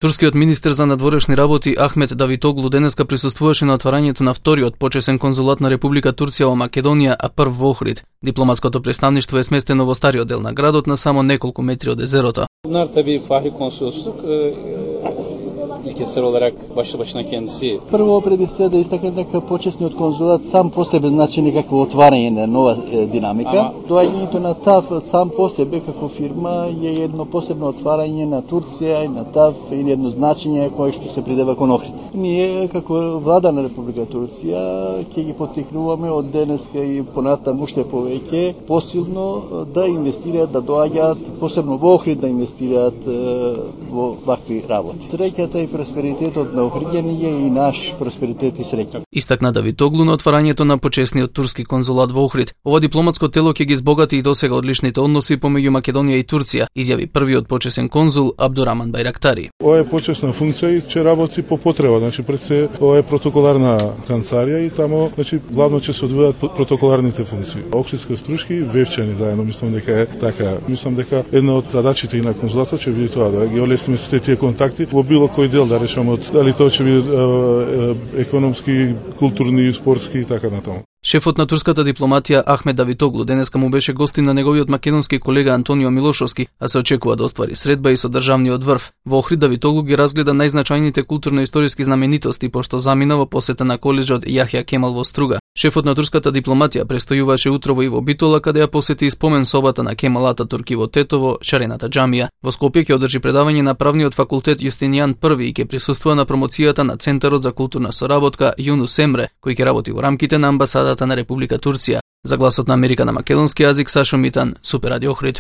Турскиот министер за надворешни работи Ахмет Давитоглу денеска присуствуваше на отварањето на вториот почесен конзулат на Република Турција во Македонија, а прв во Охрид. Дипломатското представништво е сместено во стариот дел на градот на само неколку метри од езерото. Bunlar tabii fahri konsolosluk ilkesel olarak başlı başına kendisi. Прво преди се да истакнам дека почесниот конзулат сам по себе значи некакво отварање на нова динамика. Доаѓањето на ТАВ сам по себе како фирма е едно посебно отварање на Турција и на ТАВ и едно значење кое што се придава кон Охрид. Ние како влада на Република Турција ќе ги поттикнуваме од денеска и понатаму уште повеќе посилно да инвестираат, да доаѓаат посебно во Охрид да инвестираат во вакви работи. Среќата и просперитетот на Охриѓани е и наш просперитет и среќа. Истакна Давитоглу на отварањето на почесниот турски конзулат во Охрид. Ова дипломатско тело ќе ги збогати и досега одличните односи помеѓу Македонија и Турција, изјави првиот почесен конзул Абдураман Байрактари. Ова е почесна функција и ќе работи по потреба, значи пред се ова е протоколарна канцеларија и тамо значи главно ќе се одвијат протоколарните функции. Охридска струшки вевчани заедно, мислам дека е така. Мислам дека една од задачите и на конзулатот ќе биде тоа да ги олесниме сите тие контакти во било кој дел, да речеме, дали тоа ќе биде економски, културни, спортски и така натаму. Шефот на турската дипломатија Ахмет Давитоглу денеска му беше гостин на неговиот македонски колега Антонио Милошовски, а се очекува да оствари средба и со државниот врв. Во Охрид Давитоглу ги разгледа најзначајните културно-историски знаменитости, пошто замина во посета на коледжот Јахја Кемал во Струга. Шефот на турската дипломатија престојуваше утрово и во Битола, каде ја посети и спомен собата на Кемал Ататурк и во Тетово, Шарената џамија. Во Скопје ќе одржи предавање на правниот факултет Јустинијан I и ќе присуствува на промоцијата на Центарот за културна соработка Юнус Емре, кој ќе работи во рамките на амбасадата на Република Турција. За Гласот на Америка на македонски јазик Сашо Митан, Супер Радио Охрид.